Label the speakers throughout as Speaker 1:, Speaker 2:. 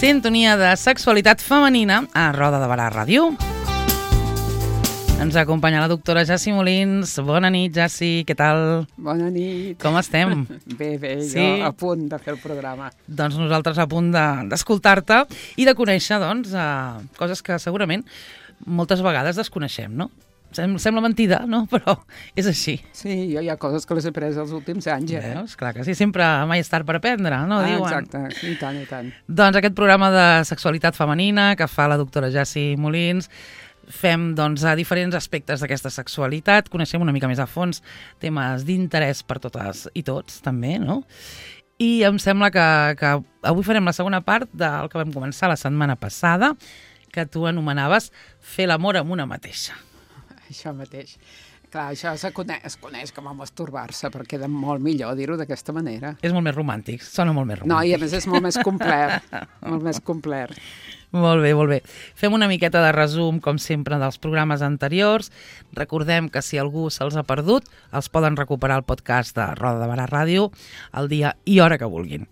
Speaker 1: sintonia de sexualitat femenina a Roda de Barà Ràdio. Ens acompanya la doctora Jassi Molins. Bona nit, Jassi, què tal?
Speaker 2: Bona nit.
Speaker 1: Com estem?
Speaker 2: Bé,
Speaker 1: Sí?
Speaker 2: jo a punt de fer el programa.
Speaker 1: Doncs nosaltres a punt d'escoltar-te i de conèixer coses que segurament moltes vegades desconeixem, no? Sembla mentida, no? Però és així.
Speaker 2: Sí, jo hi ha coses que les he après els últims anys,
Speaker 1: Veus? Clar que sí, sempre mai és tard per aprendre, no? Diuen.
Speaker 2: Exacte, i tant, i tant.
Speaker 1: Doncs aquest programa de sexualitat femenina que fa la doctora Jassi Molins, fem a diferents aspectes d'aquesta sexualitat, coneixem una mica més a fons temes d'interès per totes i tots, també, no? I em sembla que avui farem la segona part del que vam començar la setmana passada, que tu anomenaves fer l'amor amb una mateixa.
Speaker 2: Això mateix. Clar, això es coneix com a masturbar-se, però queda molt millor dir-ho d'aquesta manera.
Speaker 1: És molt més romàntic, sona molt més romàntic.
Speaker 2: No, i a més és molt més complet, molt més complet.
Speaker 1: Molt bé, molt bé. Fem una miqueta de resum, com sempre, dels programes anteriors. Recordem que si algú se'ls ha perdut, els poden recuperar al podcast de Roda de Barà Ràdio el dia i hora que vulguin.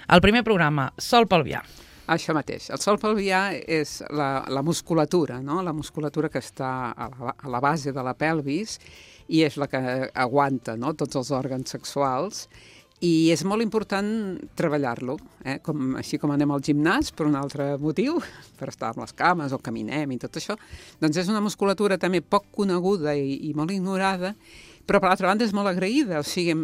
Speaker 1: El primer programa, Sol pelvià.
Speaker 2: Això mateix. El sòl pelvià és la musculatura, no? La musculatura que està a la base de la pelvis i és la que aguanta, no? Tots els òrgans sexuals. I és molt important treballar-lo, així com anem al gimnàs per un altre motiu, per estar amb les cames o caminem i tot això, doncs és una musculatura també poc coneguda i molt ignorada, però per l'altra banda és molt agraïda, o sigui,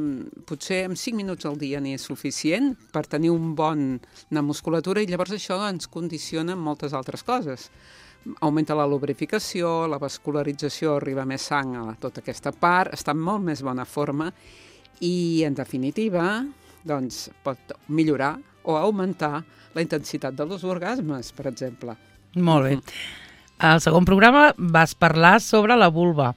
Speaker 2: potser en 5 minuts al dia n'hi és suficient per tenir una musculatura i llavors això ens condiciona en moltes altres coses. Augmenta la lubrificació, la vascularització, arriba més sang a tota aquesta part, està en molt més bona forma i, en definitiva, doncs, pot millorar o augmentar la intensitat dels orgasmes, per exemple.
Speaker 1: Molt bé. Al segon programa vas parlar sobre la vulva,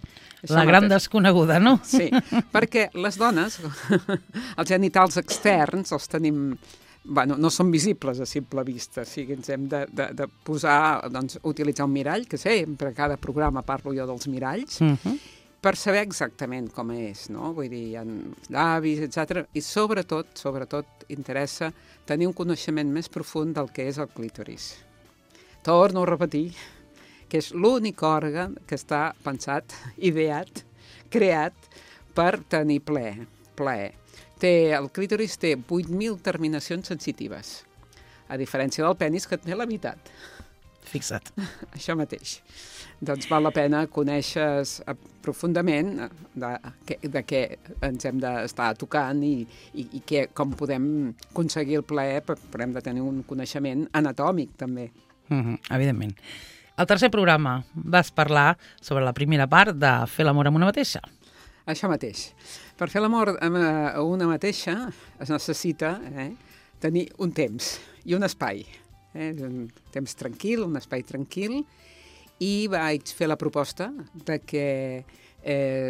Speaker 1: la gran desconeguda, no?
Speaker 2: Sí, perquè les dones, els genitals externs els tenim... Bueno, no són visibles a simple vista, o sigui, ens hem de posar, doncs, utilitzar un mirall, que sempre a cada programa parlo jo dels miralls, per saber exactament com és, no? Vull dir, hi ha llavis, etc. I sobretot interessa tenir un coneixement més profund del que és el clítoris. Torno a repetir que és l'únic òrgan que està pensat, ideat, creat per tenir plaer. El clítoris té 8.000 terminacions sensitives, a diferència del penis, que té la meitat.
Speaker 1: Fixa't.
Speaker 2: Això mateix. Doncs val la pena conèixer profundament de què ens hem d'estar tocant i com podem aconseguir el plaer, però hem de tenir un coneixement anatòmic, també.
Speaker 1: Evidentment. Al tercer programa vas parlar sobre la primera part de fer l'amor amb una mateixa.
Speaker 2: Això mateix. Per fer l'amor amb una mateixa es necessita tenir un temps i un espai. Un temps tranquil, un espai tranquil, i vaig fer la proposta de que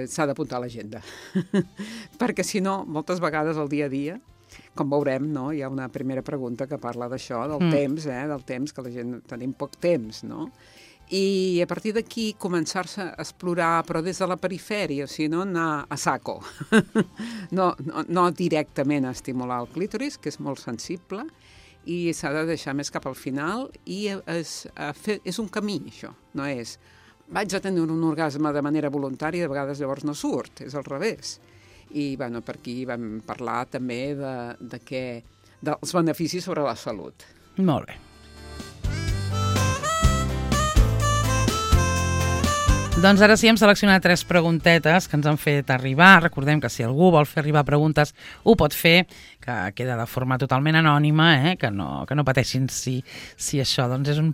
Speaker 2: s'ha d'apuntar a l'agenda. Perquè si no, moltes vegades al dia a dia, com veurem, no? Hi ha una primera pregunta que parla d'això, del temps, del temps, que la gent tenim poc temps, no? I a partir d'aquí començar-se a explorar, però des de la perifèria, o sigui, no anar a saco. No directament a estimular el clítoris, que és molt sensible, i s'ha de deixar més cap al final, i és un camí, això. No és, vaig a tenir un orgasme de manera voluntària, de vegades llavors no surt, és al revés. I bueno, per aquí vam parlar també dels beneficis sobre la salut.
Speaker 1: Molt bé. Doncs ara sí, hem seleccionat 3 preguntetes que ens han fet arribar. Recordem que si algú vol fer arribar preguntes ho pot fer, que queda de forma totalment anònima, que no pateixin si això és un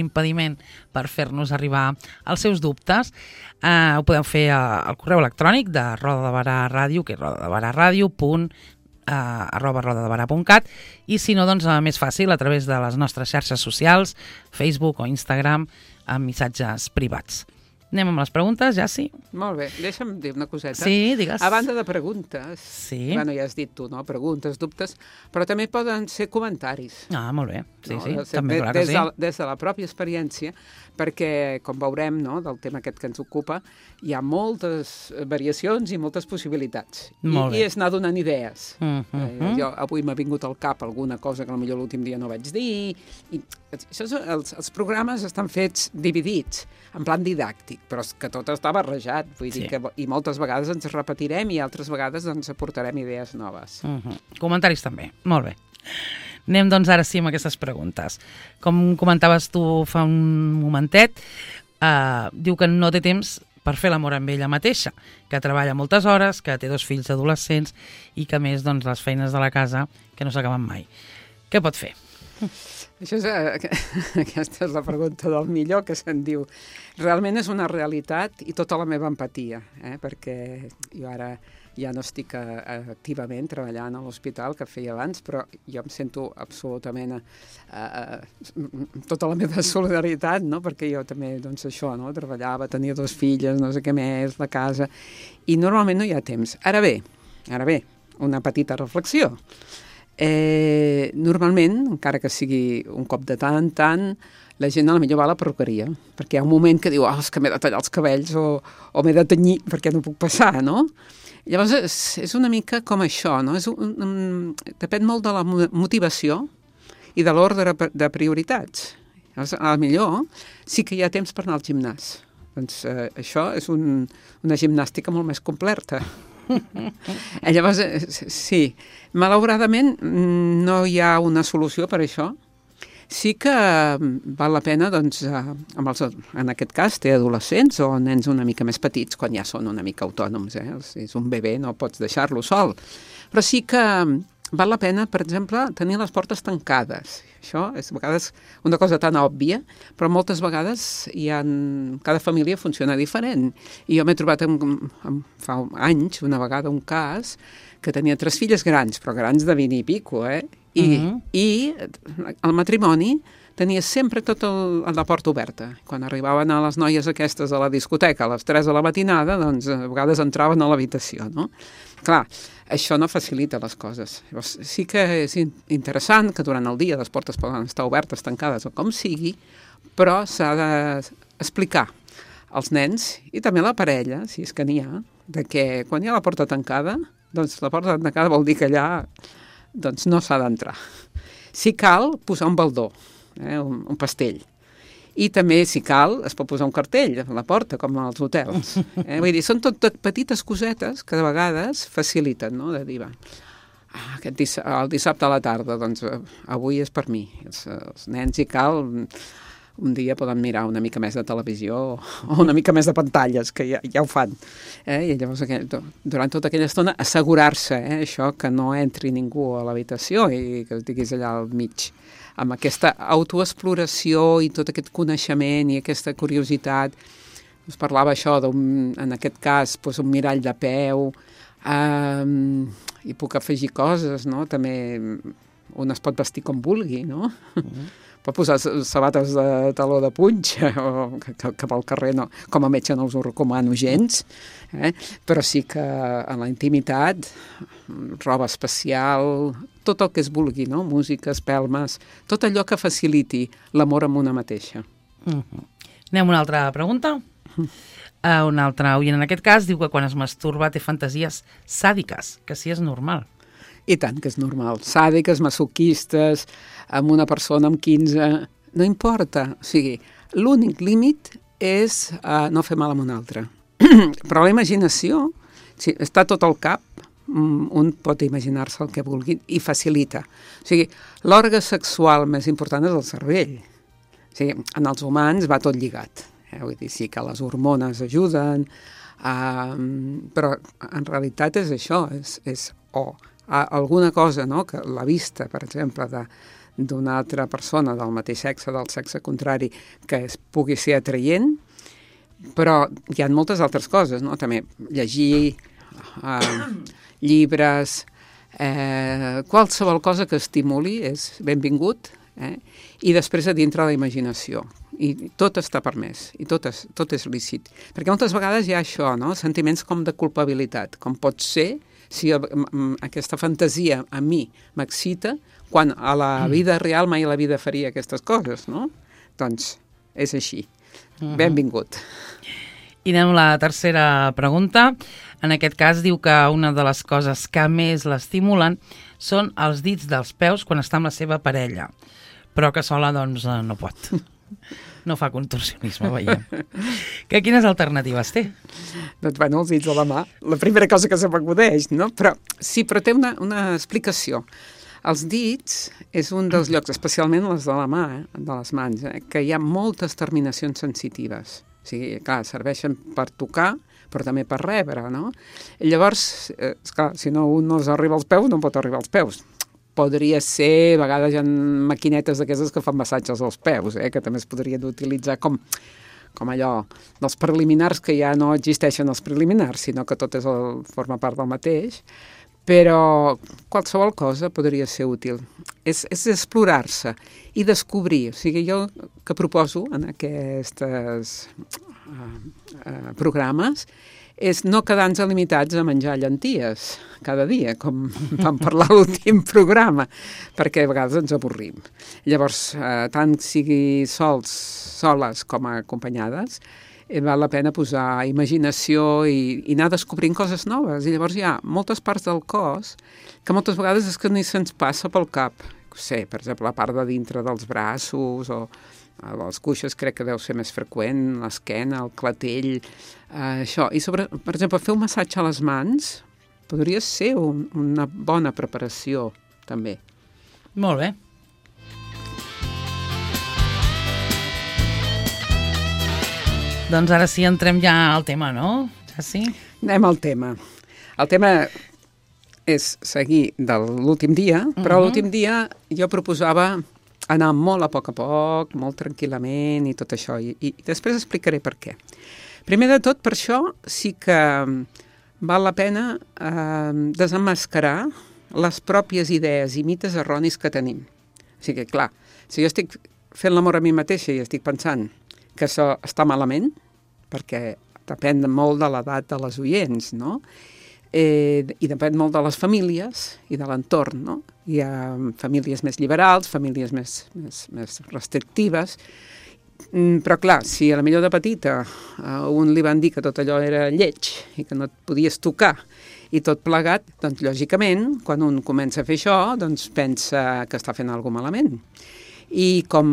Speaker 1: impediment per fer-nos arribar els seus dubtes. Ho podeu fer al correu electrònic de Roda de Barà Ràdio, que és rodadebaraRadio.cat, i si no, doncs més fàcil, a través de les nostres xarxes socials, Facebook o Instagram, amb missatges privats. Anem amb les preguntes, ja sí?
Speaker 2: Molt bé, deixa'm dir una coseta.
Speaker 1: Sí, digues.
Speaker 2: A banda de preguntes,
Speaker 1: Sí.
Speaker 2: bueno, ja has dit tu, no? Preguntes, dubtes, però també poden ser comentaris.
Speaker 1: Ah, molt bé. Sí,
Speaker 2: No?
Speaker 1: sí, també clar que sí.
Speaker 2: Des de la pròpia experiència, perquè, com veurem, no, del tema aquest que ens ocupa, hi ha moltes variacions i moltes possibilitats.
Speaker 1: Molt bé.
Speaker 2: I és anar donant idees.
Speaker 1: Mhm.
Speaker 2: Jo avui m'ha vingut al cap alguna cosa que potser l'últim dia no vaig dir. I els programes estan fets dividits, en plan didàctic, però és que tot està barrejat. Vull dir que, i moltes vegades ens repetirem i altres vegades ens aportarem idees noves.
Speaker 1: Comentaris també. Molt bé. Anem, doncs, ara sí amb aquestes preguntes. Com comentaves tu fa un momentet, diu que no té temps per fer l'amor amb ella mateixa, que treballa moltes hores, que té 2 fills adolescents i que, a més, doncs, les feines de la casa que no s'acaben mai. Què pot fer?
Speaker 2: Aquesta és la pregunta del millor que se'n diu. Realment és una realitat i tota la meva empatia, perquè jo ara ja no estic activament treballant a l'hospital, que feia abans, però jo em sento absolutament tota la meva solidaritat, no? Perquè jo també, doncs això, no? Treballava, tenia 2 filles, no sé què més, la casa, i normalment no hi ha temps. Ara bé, una petita reflexió. Normalment, encara que sigui un cop de tant en tant, la gent potser va a la perruqueria, perquè hi ha un moment que diu, és que m'he de tallar els cabells o m'he de tenyir perquè no puc passar, no? Llavors, és una mica com això, no? Depèn molt de la motivació i de l'ordre de prioritats. Llavors, potser sí que hi ha temps per anar al gimnàs. Doncs això és una gimnàstica molt més completa. Llavors, sí, malauradament no hi ha una solució per això. Sí que val la pena, doncs, en aquest cas, té adolescents o nens una mica més petits, quan ja són una mica autònoms, Si és un bebè no pots deixar-lo sol. Però sí que val la pena, per exemple, tenir les portes tancades. Això és a vegades una cosa tan òbvia, però moltes vegades cada família funciona diferent. I jo m'he trobat fa anys, una vegada, un cas que tenia 3 filles grans, però grans de 20 i pico, I el matrimoni tenia sempre tota la porta oberta. Quan arribaven a les noies aquestes a la discoteca a les 3 de la matinada, doncs a vegades entraven a l'habitació, no? Clar, això no facilita les coses. Llavors, sí que és interessant que durant el dia les portes poden estar obertes, tancades o com sigui, però s'ha d'explicar als nens i també a la parella, si és que n'hi ha, de que quan hi ha la porta tancada, doncs la porta tancada vol dir que allà doncs no s'ha d'entrar. Si cal, posar un baldó, un pastell. I també, si cal, es pot posar un cartell a la porta, com als hotels. Vull dir, són tot petites cosetes que de vegades faciliten, no?, de dir, el dissabte a la tarda, doncs avui és per mi. Els nens, si cal, un dia poden mirar una mica més de televisió o una mica més de pantalles, que ja ho fan. I llavors, durant tota aquella estona, assegurar-se, això, que no entri ningú a l'habitació i que estiguis allà al mig, amb aquesta autoexploració i tot aquest coneixement i aquesta curiositat. Us parlava això, en aquest cas, un mirall de peu, i puc afegir coses, no? També un es pot vestir com vulgui, no? Pot posar sabates de taló de punxa, o que pel carrer no, com a metge no us ho recomano gens, però sí que en la intimitat, roba especial, tot el que es vulgui, no? Música, espelmes, tot allò que faciliti l'amor amb una mateixa.
Speaker 1: Anem a una altra pregunta. Un altre oient, en aquest cas, diu que quan es masturba té fantasies sàdiques, que sí és normal.
Speaker 2: I tant que és normal. Sàdiques, masoquistes, amb una persona amb 15... No importa. O sigui, l'únic límit és no fer mal a un altre. Però la imaginació, si està tot al cap, un pot imaginar-se el que vulgui i facilita. O sigui, l'òrgan sexual més important és el cervell. O sigui, en els humans va tot lligat. Vull dir, sí que les hormones ajuden, però en realitat és això, és alguna cosa, no?, que la vista, per exemple, d'una altra persona del mateix sexe, del sexe contrari, que es pugui ser atraient, però hi ha moltes altres coses, no?, també llegir llibres, qualsevol cosa que estimuli és benvingut, i després a dintre la imaginació. i tot està permès, i tot és lícit. Perquè moltes vegades hi ha això, no? Sentiments com de culpabilitat, com pot ser si aquesta fantasia a mi m'excita, quan a la vida real mai a la vida faria aquestes coses, no? Doncs és així. Benvingut.
Speaker 1: I anem a la tercera pregunta. En aquest cas diu que una de les coses que més l'estimulen són els dits dels peus quan està amb la seva parella, però que sola doncs no pot. No fa contorsionisme, veiem. Quines alternatives té?
Speaker 2: Doncs bueno, els dits de la mà, la primera cosa que se m'acudeix, no? Però té una explicació. Els dits és un dels llocs, especialment les de la mà, de les mans, que hi ha moltes terminacions sensitives. O sigui, clar, serveixen per tocar, però també per rebre, no? I llavors, esclar, si no un no arriba als peus, no pot arribar als peus. Podria ser, a vegades hi ha maquinetes d'aquestes que fan massatges als peus, que també es podrien utilitzar com allò dels preliminars, que ja no existeixen els preliminars, sinó que tot forma part del mateix, però qualsevol cosa podria ser útil. És explorar-se i descobrir. O sigui, jo que proposo en aquests programes és no quedar-nos limitats a menjar llenties cada dia, com vam parlar a l'últim programa, perquè a vegades ens avorrim. Llavors, tant sigui soles com acompanyades, val la pena posar imaginació i anar descobrint coses noves. I llavors hi ha moltes parts del cos que moltes vegades és que ni se'ns passa pel cap. Per exemple, la part de dintre dels braços o les cuixes crec que deu ser més freqüent, l'esquena, el clatell, això. I per exemple, fer un massatge a les mans podria ser una bona preparació, també.
Speaker 1: Molt bé. Doncs ara sí, entrem ja al tema, no? Ja sí?
Speaker 2: Anem al tema. El tema és seguir de l'últim dia, però l'últim dia jo proposava anar molt a poc, molt tranquil·lament i tot això, i després explicaré per què. Primer de tot, per això sí que val la pena desemmascarar les pròpies idees i mites erronis que tenim. O sigui, clar, si jo estic fent l'amor a mi mateixa i estic pensant que això està malament, perquè depèn molt de l'edat de les oients, no? I depèn molt de les famílies i de l'entorn, no? Hi ha famílies més liberals, famílies més restrictives, però clar, si a la millor de petita a un li van dir que tot allò era lleig i que no et podies tocar i tot plegat, doncs lògicament, quan un comença a fer això, doncs pensa que està fent alguna cosa malament. I com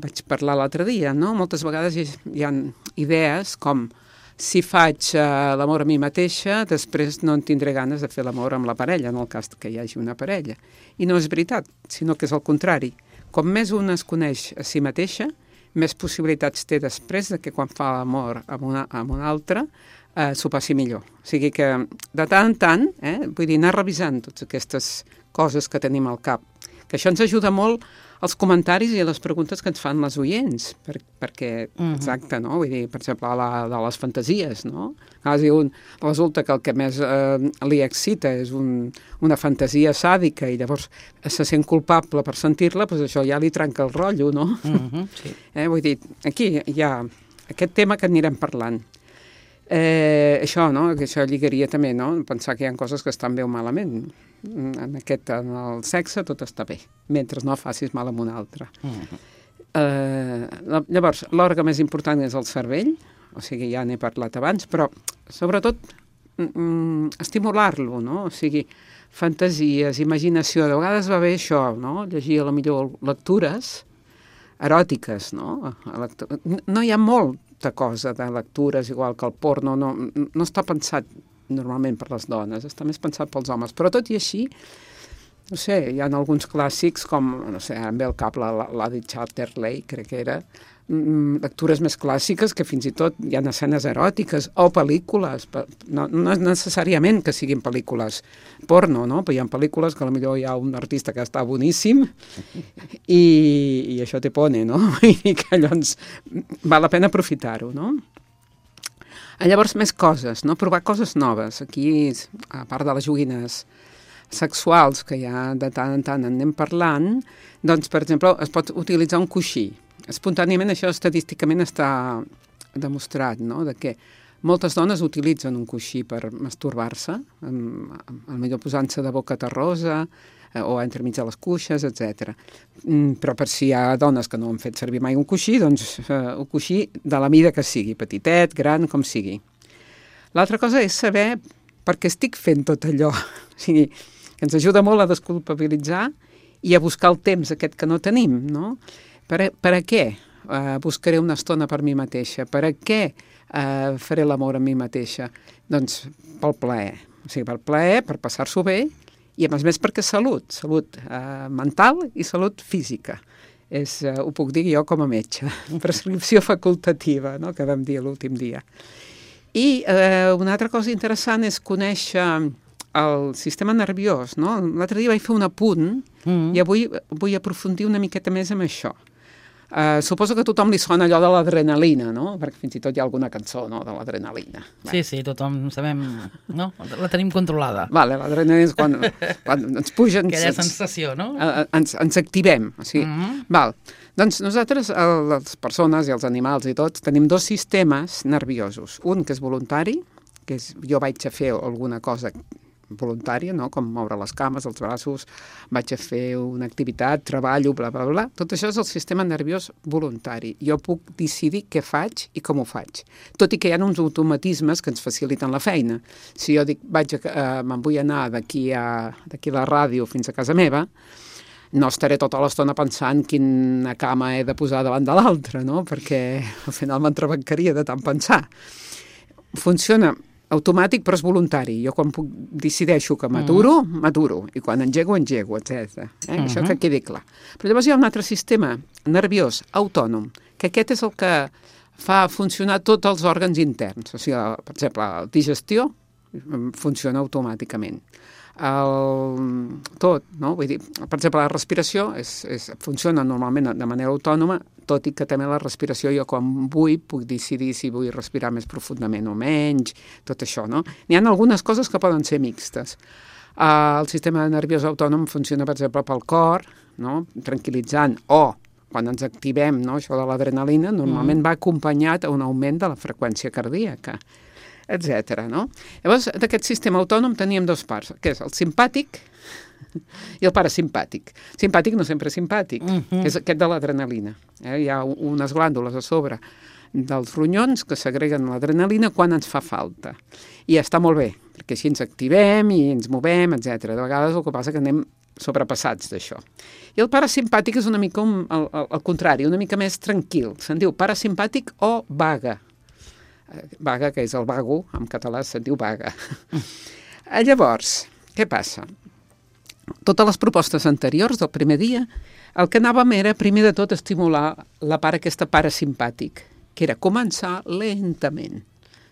Speaker 2: vaig parlar l'altre dia, no? Moltes vegades hi ha idees com si faig l'amor a mi mateixa, després no en tindré ganes de fer l'amor amb la parella, en el cas que hi hagi una parella. I no és veritat, sinó que és el contrari. Com més una es coneix a si mateixa, més possibilitats té després de que quan fa l'amor amb una altra s'ho passi millor. O sigui que de tant en tant, vull dir, anar revisant totes aquestes coses que tenim al cap, que això ens ajuda molt als comentaris i a les preguntes que ens fan les oients, perquè, exacte, no? Vull dir, per exemple, de les fantasies, no? Resulta que el que més li excita és una fantasia sàdica i llavors se sent culpable per sentir-la, doncs això ja li trenca el rotllo, no?
Speaker 1: Sí.
Speaker 2: Vull dir, aquí hi ha aquest tema que anirem parlant. Això, no? Que això lligaria també, no? Pensar que hi ha coses que estan bé o malament. En el sexe tot està bé, mentre no facis mal amb un altre. Llavors, l'òrgan més important és el cervell, o sigui, ja n'he parlat abans, però sobretot estimular-lo, no? O sigui, fantasies, imaginació. De vegades va bé això, no? Llegir a la millor lectures eròtiques, no? No hi ha molta cosa de lectures, igual que el porno, no està pensat normalment per les dones, està més pensat pels homes, però tot i així, no sé, hi ha alguns clàssics com, no sé, em ve al cap l'Adi Chatterley, crec que era, lectures més clàssiques que fins i tot hi ha escenes eròtiques o pel·lícules, no necessàriament que siguin pel·lícules porno, no? Però hi ha pel·lícules que potser hi ha un artista que està boníssim i això te pone, no? I que llavors val la pena aprofitar-ho, no? Llavors, més coses, no? Provar coses noves. Aquí, a part de les joguines sexuals, que ja de tant en tant en anem parlant, doncs, per exemple, es pot utilitzar un coixí. espontàniament això estadísticament està demostrat, no?, de que moltes dones utilitzen un coixí per masturbar-se, potser posant-se de boca terrosa o entremig de les cuixes, etc. Però per si hi ha dones que no han fet servir mai un coixí, doncs un coixí de la mida que sigui, petitet, gran, com sigui. L'altra cosa és saber per què estic fent tot allò. O sigui, que ens ajuda molt a desculpabilitzar i a buscar el temps aquest que no tenim, no? Per a què buscaré una estona per mi mateixa? Per a què faré l'amor a mi mateixa? Doncs pel plaer. O sigui, per plaer, per passar-s'ho bé, i a més perquè salut mental i salut física. Ho puc dir jo com a metge, prescripció facultativa, no?, que vam dir l'últim dia. I una altra cosa interessant és conèixer el sistema nerviós, no? L'altre dia vaig fer un apunt i avui vull aprofundir una miqueta més amb això. Suposo que a tothom li sona allò de l'adrenalina, no? Perquè fins i tot hi ha alguna cançó, no?, de l'adrenalina.
Speaker 1: Sí, tothom sabem, no? La tenim controlada.
Speaker 2: Vale, l'adrenalina és quan ens puja...
Speaker 1: Aquella sensació, no?
Speaker 2: Ens activem. O sigui, val. Doncs nosaltres, les persones i els animals i tots, tenim dos sistemes nerviosos. Un que és voluntari, que és jo vaig a fer alguna cosa voluntària, no?, com moure les cames, els braços, vaig a fer una activitat, treballo, bla, bla, bla. Tot això és el sistema nerviós voluntari. Jo puc decidir què faig i com ho faig. Tot i que hi ha uns automatismes que ens faciliten la feina. Si jo dic, me'n vull anar d'aquí a la ràdio fins a casa meva, no estaré tota l'estona pensant quina cama he de posar davant de l'altra, no?, perquè al final m'entrebancaria de tant pensar. Funciona automàtic, però és voluntari. Jo quan decideixo que m'aturo, i quan engego, etc. Això que quedi clar. Però llavors hi ha un altre sistema nerviós autònom, que aquest és el que fa funcionar tots els òrgans interns. O sigui, per exemple, la digestió funciona automàticament. Tot, no? Vull dir, per exemple, la respiració funciona normalment de manera autònoma, tot i que també la respiració jo quan vull puc decidir si vull respirar més profundament o menys, tot això, no? N'hi ha algunes coses que poden ser mixtes. El sistema nerviós autònom funciona, per exemple, pel cor, no?, tranquil·litzant, o quan ens activem, no?, això de l'adrenalina, normalment va acompanyat a un augment de la freqüència cardíaca, etc. No? Llavors, d'aquest sistema autònom teníem dues parts, que és el simpàtic i el parasimpàtic. Simpàtic no sempre és simpàtic, que és aquest de l'adrenalina. Hi ha unes glàndules a sobre dels ronyons que segreguen l'adrenalina quan ens fa falta. I està molt bé, perquè així ens activem i ens movem, etc. De vegades el que passa que anem sobrepassats d'això. I el parasimpàtic és una mica al contrari, una mica més tranquil. Se'n diu parasimpàtic o vaga. Vaga, que és el vago, en català se'n diu vaga. Llavors, què passa? Totes les propostes anteriors del primer dia, el que anàvem era, primer de tot, estimular la part aquesta parasimpàtic, que era començar lentament.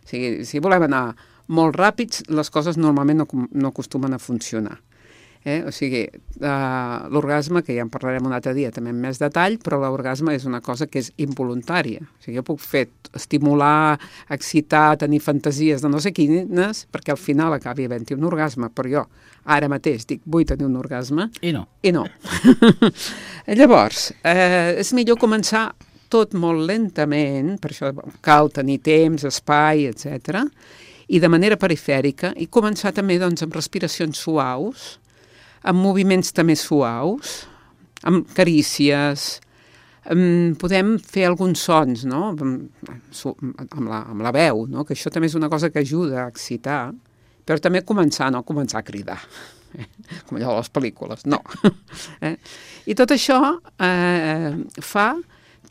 Speaker 2: O sigui, si volem anar molt ràpids, les coses normalment no acostumen a funcionar. O sigui, l'orgasme, que ja en parlarem un altre dia també en més detall, però l'orgasme és una cosa que és involuntària. O sigui, jo puc fer estimular, excitar, tenir fantasies de no sé quines, perquè al final acabi havent-hi un orgasme, però jo ara mateix dic, vull tenir un orgasme.
Speaker 1: I no.
Speaker 2: Llavors, és millor començar tot molt lentament, per això cal tenir temps, espai, etc. I de manera perifèrica, i començar també doncs, amb respiracions suaus, amb moviments també suaus, amb carícies, podem fer alguns sons, no?, amb la veu, no?, que això també és una cosa que ajuda a excitar, però també començar a cridar, com allò de les pel·lícules, no. I tot això fa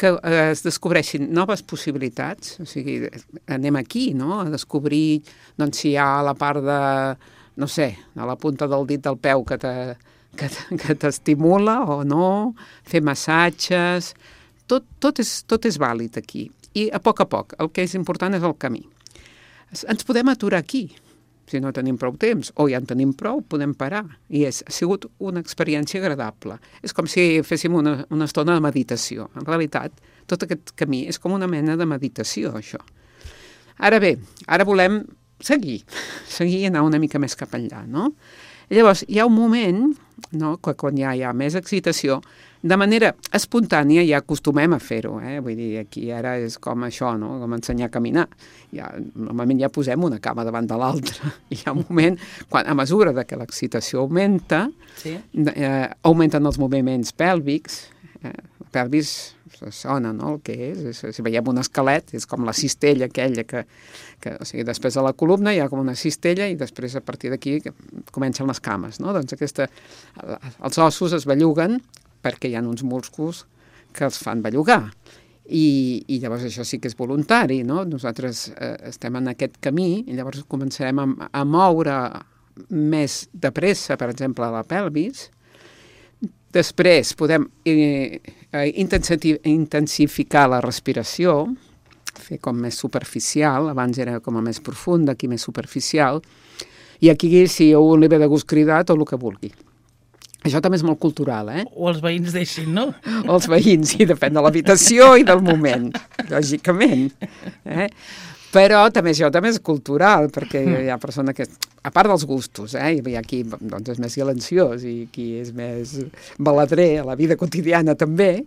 Speaker 2: que es descobreixin noves possibilitats, o sigui, anem aquí, no?, a descobrir doncs, si hi ha la part de, no sé, a la punta del dit del peu que t'estimula o no, fer massatges, tot és vàlid aquí. I a poc, el que és important és el camí. Ens podem aturar aquí, si no tenim prou temps, o ja en tenim prou, podem parar. I ha sigut una experiència agradable. És com si féssim una estona de meditació. En realitat, tot aquest camí és com una mena de meditació, això. Ara bé, ara volem seguir i anar una mica més cap enllà, no? Llavors, hi ha un moment, no?, que quan ja hi ha més excitació, de manera espontània ja acostumem a fer-ho, vull dir, aquí ara és com això, no? Com ensenyar a caminar. Normalment ja posem una cama davant de l'altra. Hi ha un moment, a mesura de que l'excitació augmenta, augmenten els moviments pèlvics. La pelvis sona, no?, el que és. Si veiem un esquelet, és com la cistella aquella o sigui, després de la columna hi ha com una cistella i després a partir d'aquí comencen les cames, no? Doncs els ossos es belluguen perquè hi ha uns músculs que els fan bellugar. I llavors això sí que és voluntari, no? Nosaltres estem en aquest camí i llavors començarem a moure més de pressa, per exemple, a la pelvis. Després podem intensificar la respiració, fer com més superficial, abans era com a més profunda, aquí més superficial, i aquí si a un li ve de gust cridar tot el que vulgui. Això també és molt cultural,
Speaker 1: O els veïns deixin, no?
Speaker 2: O els veïns, sí, depèn de l'habitació i del moment, lògicament. Però també això també és cultural, perquè hi ha persona que, a part dels gustos, hi ha qui doncs, és més silenciós i qui és més baladrer a la vida quotidiana també,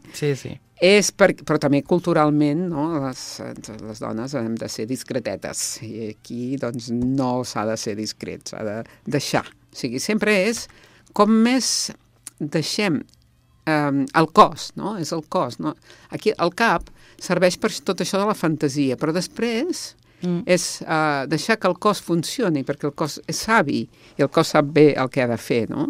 Speaker 2: però també culturalment, no? Les dones hem de ser discretetes i aquí doncs, no s'ha de ser discret, s'ha de deixar. O sigui, sempre és com més deixem el cos, no? És el cos, no? Aquí el cap serveix per tot això de la fantasia, però després és deixar que el cos funcioni, perquè el cos és savi i el cos sap bé el que ha de fer, no?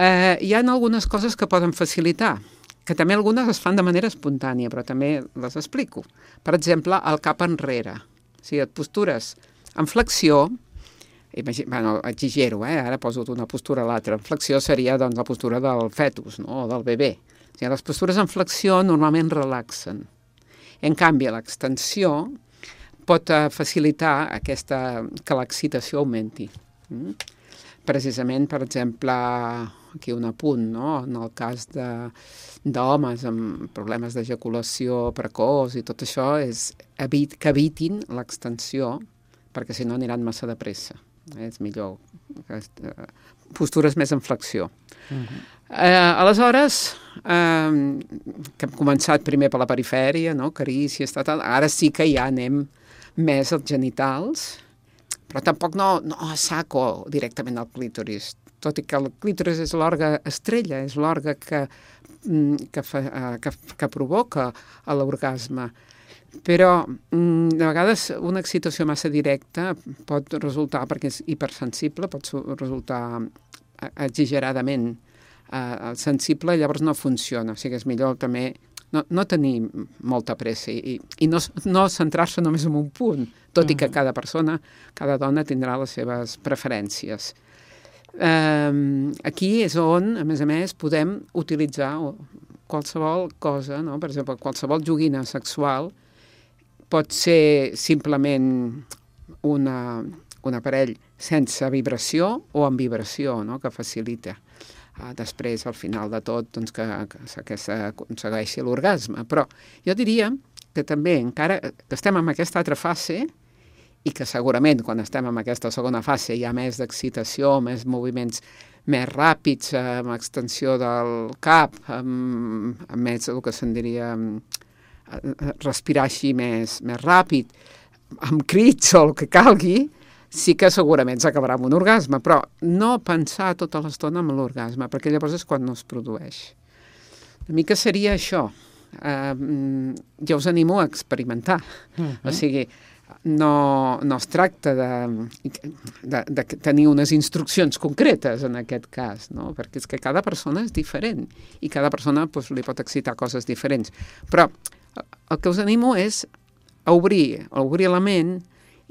Speaker 2: Hi ha algunes coses que poden facilitar, que també algunes es fan de manera espontània, però també les explico. Per exemple, el cap enrere. O sigui, et postures en flexió, exagero, ara poso una postura a l'altra. En flexió seria doncs, la postura del fetus, no? O del bebè. O sigui, les postures en flexió normalment relaxen. En canvi, l'extensió pot facilitar que l'excitació augmenti. Precisament, per exemple, aquí un apunt, no? En el cas d'homes amb problemes d'ejaculació precoç i tot això, és que evitin l'extensió, perquè si no aniran massa de pressa. És millor postures més en flexió. Aleshores, que hem començat primer per la perifèria, no? Carícies, ara sí que ja anem més als genitals, però tampoc no a saco directament al clítoris, tot i que el clítoris és l'òrgan estrella, és l'òrgan que provoca l'orgasme. Però de vegades una excitació massa directa pot resultar, perquè és hipersensible, pot resultar exageradament sensible, llavors no funciona. O sigui, és millor també no tenir molta pressa i no centrar-se només en un punt, tot i que cada persona, cada dona tindrà les seves preferències. Aquí és on, a més, podem utilitzar qualsevol cosa, no? Per exemple, qualsevol joguina sexual pot ser simplement un aparell sense vibració o amb vibració, no? Que facilita després, al final de tot, doncs, que s'aconsegueixi l'orgasme. Però jo diria que també, encara que estem en aquesta altra fase, i que segurament quan estem en aquesta segona fase hi ha més d'excitació, més moviments més ràpids, amb extensió del cap, amb més el que se'n diria respirar així més ràpid, amb crits o el que calgui, sí que segurament s'acabarà amb un orgasme, però no pensar tota l'estona en l'orgasme, perquè llavors és quan no es produeix. Una mica seria això. Jo us animo a experimentar. O sigui, no es tracta de tenir unes instruccions concretes en aquest cas, no? Perquè és que cada persona és diferent i cada persona li pot excitar coses diferents. Però el que us animo és a obrir la ment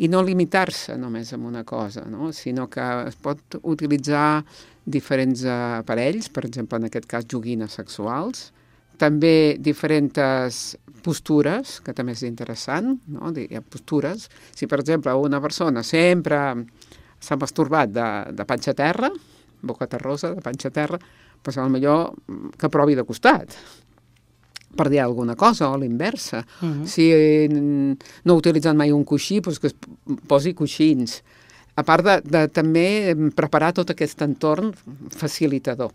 Speaker 2: i no limitar-se només amb una cosa, no? Sinó que es pot utilitzar diferents aparells, per exemple, en aquest cas joguines sexuals, també diferents postures, que també és interessant, no? Hi ha postures. Si, per exemple, una persona sempre s'ha masturbat de panxa a terra, boca terrosa, de panxa a terra, doncs potser que provi de costat, per dir alguna cosa, o l'inversa. Si no ha utilitzat mai un coixí, doncs que es posi coixins. A part de també preparar tot aquest entorn facilitador.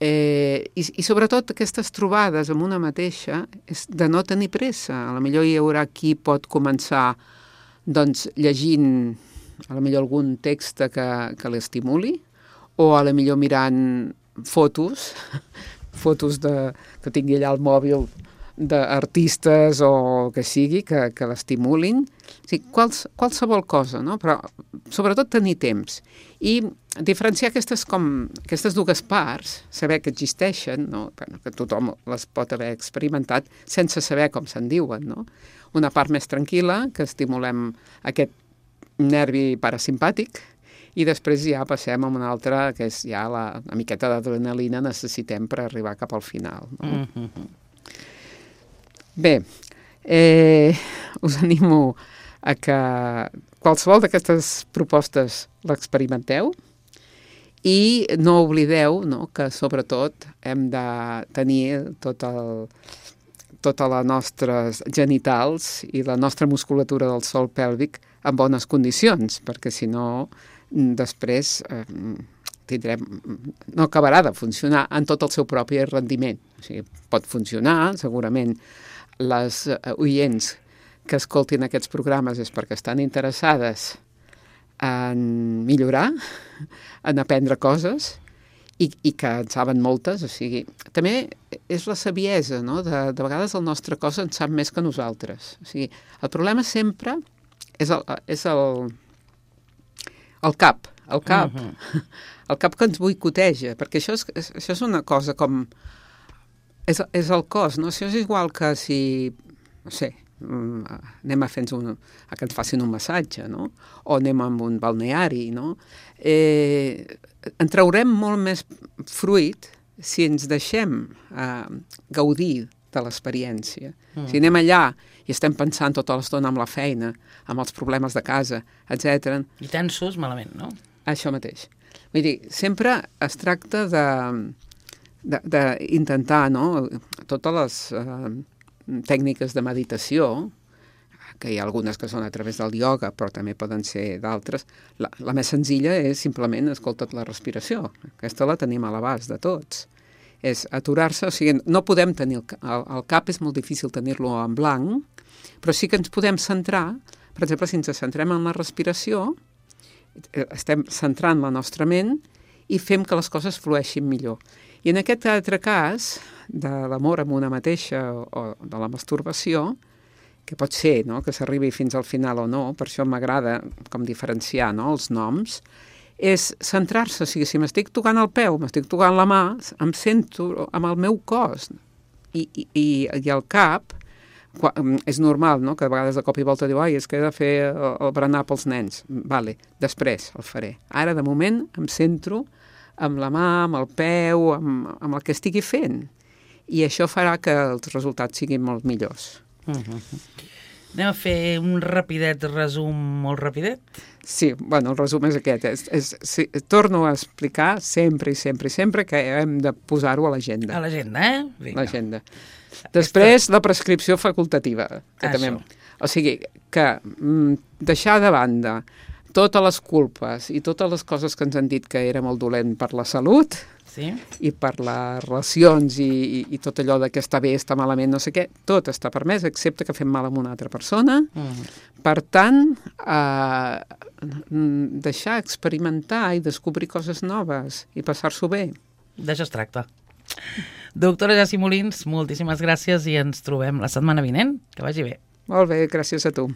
Speaker 2: I sobretot aquestes trobades amb una mateixa és de no tenir pressa. A lo millor hi haurà qui pot començar doncs, llegint a lo millor algun text que l'estimuli, o a lo millor mirant fotos que tingui allà al mòbil d'artistes o que sigui, que l'estimulin. O sigui, qualsevol cosa, no? Però sobretot tenir temps. I diferenciar aquestes dues parts, saber que existeixen, no? Que tothom les pot haver experimentat sense saber com se'n diuen, no? Una part més tranquil·la, que estimulem aquest nervi parasimpàtic, i després ja passem a una altra, que és ja una miqueta d'adrenalina necessitem per arribar cap al final. No? Bé, us animo a que qualsevol d'aquestes propostes l'experimenteu i no oblideu, no, que sobretot hem de tenir tota la nostres genitals i la nostra musculatura del sòl pèlvic en bones condicions, perquè si no després no acabarà de funcionar en tot el seu propi rendiment. O sigui, pot funcionar, segurament les oients que escoltin aquests programes és perquè estan interessades en millorar, en aprendre coses, i que en saben moltes. O sigui, també és la saviesa, no? De vegades el nostre cos en sap més que nosaltres. O sigui, el problema sempre és el cap. El cap que ens boicoteja, perquè això és una cosa com... És el cos, no? Això és igual que si, no sé, anem a que ens facin un massatge, no? O anem a un balneari, no? En traurem molt més fruit si ens deixem gaudir de l'experiència. Si anem allà i estem pensant tota l'estona amb la feina, amb els problemes de casa, etc.
Speaker 1: I tensos, malament, no?
Speaker 2: Això mateix. Vull dir, sempre es tracta d'intentar, no? Totes les tècniques de meditació, que hi ha algunes que són a través del ioga, però també poden ser d'altres, la més senzilla és simplement escolta't la respiració. Aquesta la tenim a l'abast de tots. És aturar-se, o sigui, no podem tenir el cap, és molt difícil tenir-lo en blanc, però sí que ens podem centrar, per exemple, si ens centrem en la respiració, estem centrant la nostra ment i fem que les coses flueixin millor. I en aquest altre cas, de l'amor amb una mateixa o de la masturbació, que pot ser, no?, que s'arribi fins al final o no, per això m'agrada com diferenciar, no?, els noms, és centrar-se. O sigui, si m'estic tocant el peu, m'estic tocant la mà, em sento amb el meu cos i el cap. És normal, no?, que de vegades de cop i volta diu és que he de fer el berenar pels nens. Vale, després el faré. Ara, de moment, em centro amb la mà, amb el peu, amb el que estigui fent. I això farà que els resultats siguin molt millors.
Speaker 1: Anem a fer un rapidet resum molt rapidet?
Speaker 2: Sí, bueno, el resum és aquest. Torno a explicar sempre que hem de posar-ho a l'agenda.
Speaker 1: A l'agenda, Vinga.
Speaker 2: L'agenda. Després, la prescripció facultativa. O sigui, que deixar de banda totes les culpes i totes les coses que ens han dit que era molt dolent per la salut,
Speaker 1: sí,
Speaker 2: i per les relacions i tot allò de que està bé, està malament, no sé què, tot està permès, excepte que fem mal a una altra persona. Per tant, deixar experimentar i descobrir coses noves i passar-s'ho bé.
Speaker 1: D'això es tracta. Doctora Jaci Molins, moltíssimes gràcies i ens trobem la setmana vinent. Que vagi bé.
Speaker 2: Molt bé, gràcies a tu.